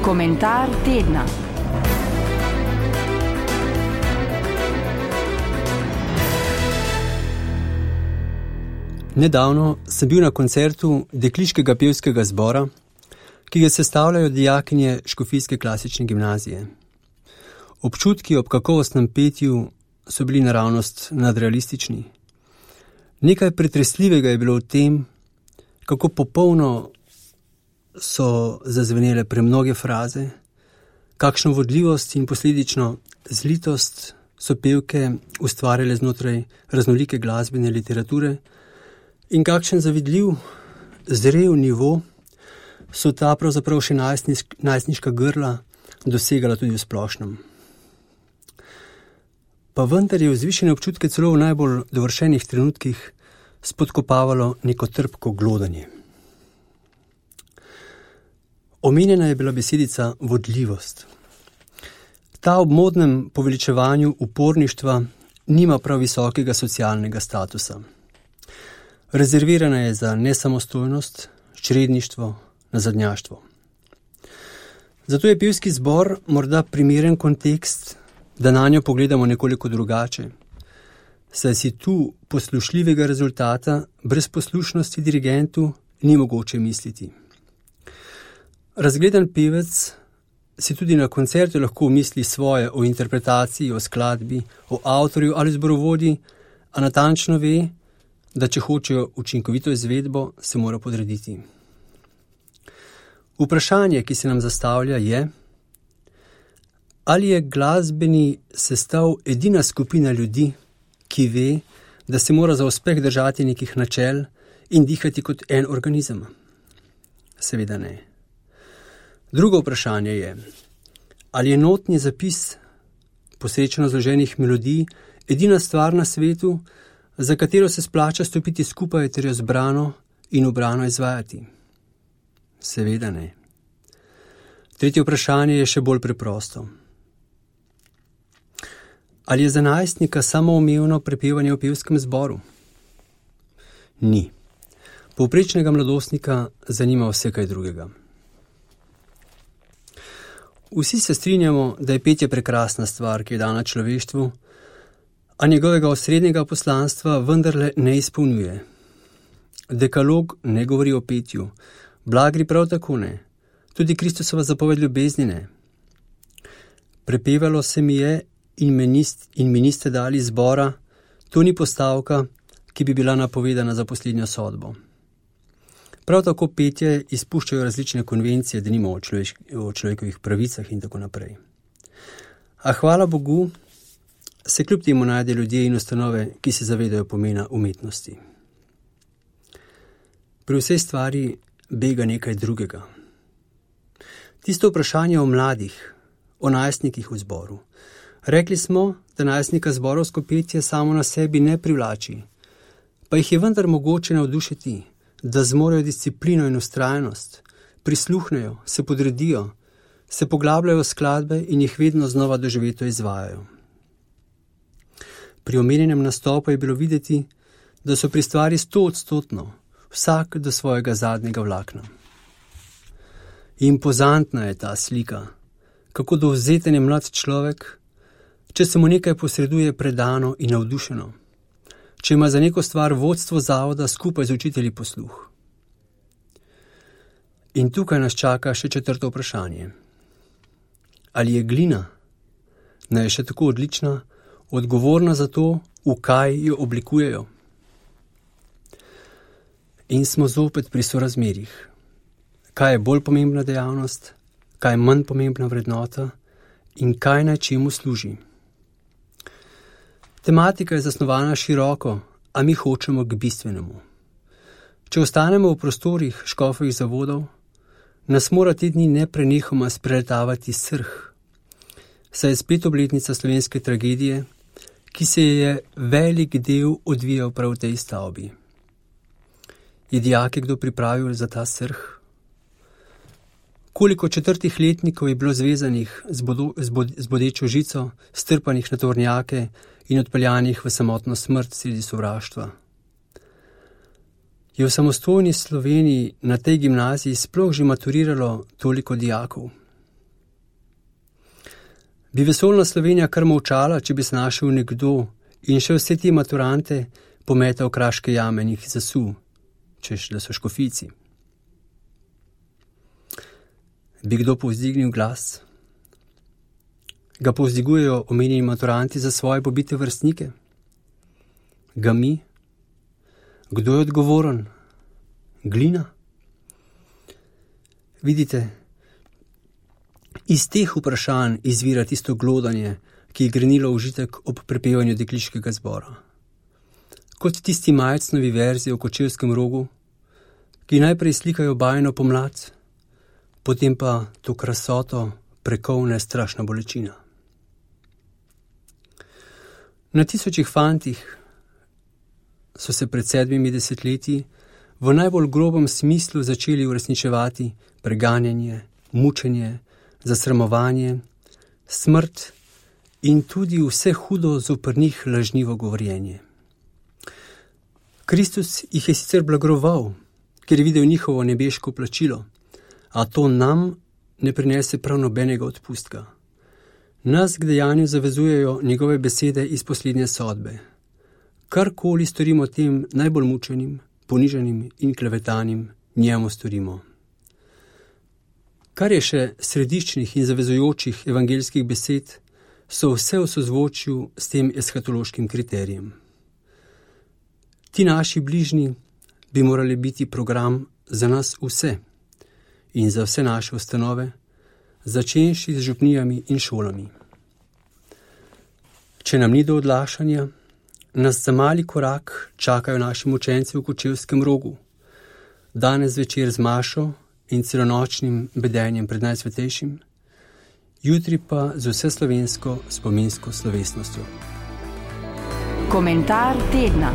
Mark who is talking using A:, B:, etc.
A: Komentar tedna.
B: Nedavno sem bil na koncertu dekliškega pevskega zbora, ki ga sestavljajo dijakinje Škofijske klasične gimnazije. Občutki ob kakovostnem petju so bili naravnost nadrealistični. Nekaj pretresljivega je bilo v tem, kako popolno so zazvenele premnoge fraze, kakšno vodljivost in posledično zlitost so pevke ustvarjale znotraj raznolike glasbene literature in kakšen zavidljiv, zrel nivo so ta pravzaprav še najstniška grla dosegala tudi v splošnem. Pa vendar je vzvišene občutke celo v najbolj dovršenih trenutkih spodkopavalo neko trpko glodanje. Omenjena je bila besedica vodljivost. Ta ob modnem poveličevanju uporništva nima prav visokega socialnega statusa. Rezervirana je za nesamostojnost, čredništvo, nazadnjaštvo. Zato je pevski zbor morda primeren kontekst, da na njo pogledamo nekoliko drugače, saj si tu poslušljivega rezultata brez poslušnosti dirigentu ni mogoče misliti. Razgledan pevec si tudi na koncertu lahko misli svoje o interpretaciji, o skladbi, o avtorju ali zborovodji, a natančno ve, da če hočejo učinkovito izvedbo, se mora podrediti. Vprašanje, ki se nam zastavlja, je, ali je glasbeni sestav edina skupina ljudi, ki ve, da se mora za uspeh držati nekih načel in dihati kot en organizem? Seveda ne. Drugo vprašanje je, ali je notni zapis posrečno zloženih melodij edina stvar na svetu, za katero se splača stopiti skupaj ter jo zbrano in ubrano izvajati? Seveda ne. Tretje vprašanje je še bolj preprosto. Ali je za najstnika samoumevno prepevanje v pevskem zboru? Ni. Povprečnega mladostnika zanima vse kaj drugega. Vsi se strinjamo, da je petje prekrasna stvar, ki je dana človeštvu, a njegovega osrednjega poslanstva vendarle ne izpolnjuje. Dekalog ne govori o petju, blagri prav tako ne, tudi Kristusova zapoved ljubezni ne. Prepevalo se mi je in mi niste dali zbora, to ni postavka, ki bi bila napovedana za poslednjo sodbo. Prav tako petje izpuščajo različne konvencije, denimo o človekovih pravicah in tako naprej. A hvala Bogu, se kljub temu najde ljudje in ustanove, ki se zavedajo pomena umetnosti. Pri vsej stvari bega nekaj drugega. Tisto vprašanje o mladih, o najstnikih v zboru. Rekli smo, da najstnika zborovsko petje samo na sebi ne privlači, pa jih je vendar mogoče navdušiti, da zmorejo disciplino in vztrajnost, prisluhnejo, se podredijo, se poglabljajo v skladbe in jih vedno znova doživeto izvajajo. Pri omenjenem nastopu je bilo videti, da so pri stvari 100%, vsak do svojega zadnjega vlakna. Impozantna je ta slika, kako dovzeten je mlad človek, če se mu nekaj posreduje predano in navdušeno, če ima za neko stvar vodstvo zavoda skupaj z učitelji posluh. In tukaj nas čaka še četrto vprašanje. Ali je glina, naj je še tako odlična, odgovorna za to, v kaj jo oblikujejo? In smo zopet pri sorazmerjih. Kaj je bolj pomembna dejavnost, kaj je manj pomembna vrednota in kaj naj čemu služi? Tematika je zasnovana široko, a mi hočemo k bistvenemu. Če ostanemo v prostorih škofovih zavodov, nas mora te dni neprenehoma spreletavati srh, saj je spet obletnica slovenske tragedije, ki se je velik del odvijal prav v tej stavbi. Je dijake kdo pripravil za ta srh? Koliko četrtih letnikov je bilo zvezanih z bodečo žico, strpanih na tovornjake in odpeljanih v samotno smrt sredi sovraštva? Je v samostojni Sloveniji na tej gimnaziji sploh že maturiralo toliko dijakov? Bi vesoljna Slovenija kar molčala, če bi se našel nekdo in še vse te maturante pometal v kraške jame in jih zasul, češ da so škofijci? Bi kdo povzdignil glas? Ga povzdigujejo omenjeni maturanti za svoje pobite vrstnike? Ga mi? Kdo je odgovoren? Glina? Vidite, iz teh vprašanj izvira tisto glodanje, ki je grenilo užitek ob prepevanju dekliškega zbora. Kot tisti Majcnovi verzi o Kočevskem rogu, ki najprej slikajo bajno pomlad, potem pa to krasoto prekovne strašna bolečina. Na tisočih fantih so se pred 7 desetletji v najbolj grobem smislu začeli uresničevati preganjanje, mučenje, zasramovanje, smrt in tudi vse hudo zoper njih lažnivo govorjenje. Kristus jih je sicer blagoval, ker je videl njihovo nebeško plačilo, a to nam ne prinese prav nobenega odpustka. Nas k dejanju zavezujejo njegove besede iz poslednje sodbe. Karkoli storimo tem najbolj mučenim, ponižanim in klevetanim, njemu storimo. Kar je še središčnih in zavezujočih evangeljskih besed, so vse v sozvočju s tem eshatološkim kriterijem. Ti naši bližnji bi morali biti program za nas vse in za vse naše ustanove, začenši z župnijami in šolami. Če nam ni do odlašanja, nas za mali korak čakajo naši mučenci v Kočevskem rogu, danes zvečer z mašo in celonočnim bedenjem pred Najsvetejšim, jutri pa z vseslovensko spominsko slovesnostjo.
A: Komentar tedna.